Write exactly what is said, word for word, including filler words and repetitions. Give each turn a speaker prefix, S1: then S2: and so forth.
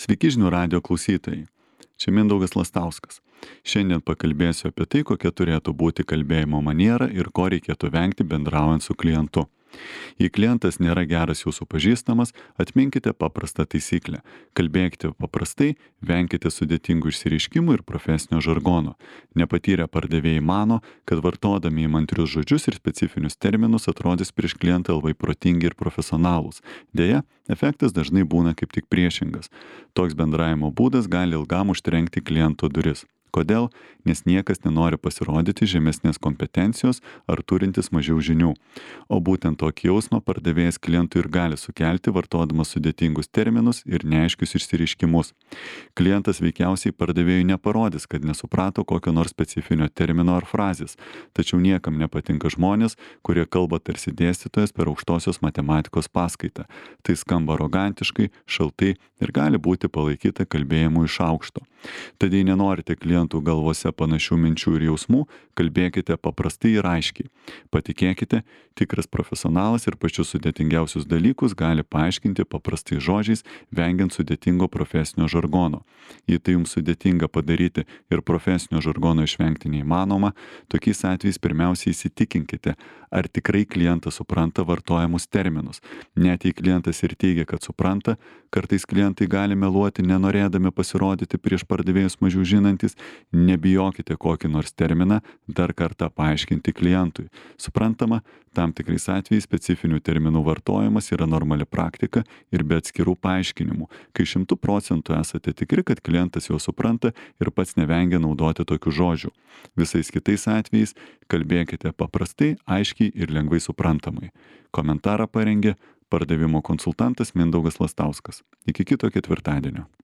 S1: Sveiki žinių radijo klausytojai. Čia Mindaugas Lastauskas. Šiandien pakalbėsiu apie tai, kokia turėtų būti kalbėjimo maniera ir ko reikėtų vengti bendraujant su klientu. Jei klientas nėra geras jūsų pažįstamas, atminkite paprastą taisyklę. Kalbėkite paprastai, venkite sudėtingų išsireiškimų ir profesinio žargono. Nepatyrę pardavėjai mano, kad vartodami įmantrius žodžius ir specifinius terminus atrodys prieš klientą labai protingi ir profesionalūs. Deja, efektas dažnai būna kaip tik priešingas. Toks bendravimo būdas gali ilgam užtrenkti kliento duris. Kodėl? Nes niekas nenori pasirodyti žemesnės kompetencijos ar turintis mažiau žinių. O būtent tokį jausmą pardavėjas klientui ir gali sukelti, vartodamas sudėtingus terminus ir neaiškius išsireiškimus. Klientas veikiausiai pardavėjui neparodys, kad nesuprato kokio nors specifinio termino ar frazės. Tačiau niekam nepatinka žmonės, kurie kalba tarsi dėstytojas per aukštosios matematikos paskaitą. Tai skamba arogantiškai, šaltai ir gali būti palaikyta kalbėjimu iš aukšto. Tad jei nenorite klientų galvose panašių minčių ir jausmų, kalbėkite paprastai ir aiškiai. Patikėkite, tikras profesionalas ir pačius sudėtingiausius dalykus gali paaiškinti paprastai žodžiais, vengiant sudėtingo profesinio žargono. Jei tai jums sudėtinga padaryti ir profesinio žargono išvengti neįmanoma, tokiais atvejais pirmiausiai įsitikinkite, ar tikrai klientas supranta vartojamus terminus. Net jei klientas ir teigia, kad supranta, kartais klientai gali meluoti, nenorėdami pasirodyti prieš pardavėjus mažiau žinantis, nebijokite kokį nors terminą dar kartą paaiškinti klientui. Suprantama, tam tikrais atvejais specifinių terminų vartojimas yra normali praktika ir be atskirų paaiškinimų, kai šimtu procentų esate tikri, kad klientas jau supranta ir pats nevengia naudoti tokių žodžių. Visais kitais atvejais kalbėkite paprastai, aiškiai ir lengvai suprantamai. Komentarą parengė pardavimo konsultantas Mindaugas Lastauskas. Iki kito ketvirtadienio.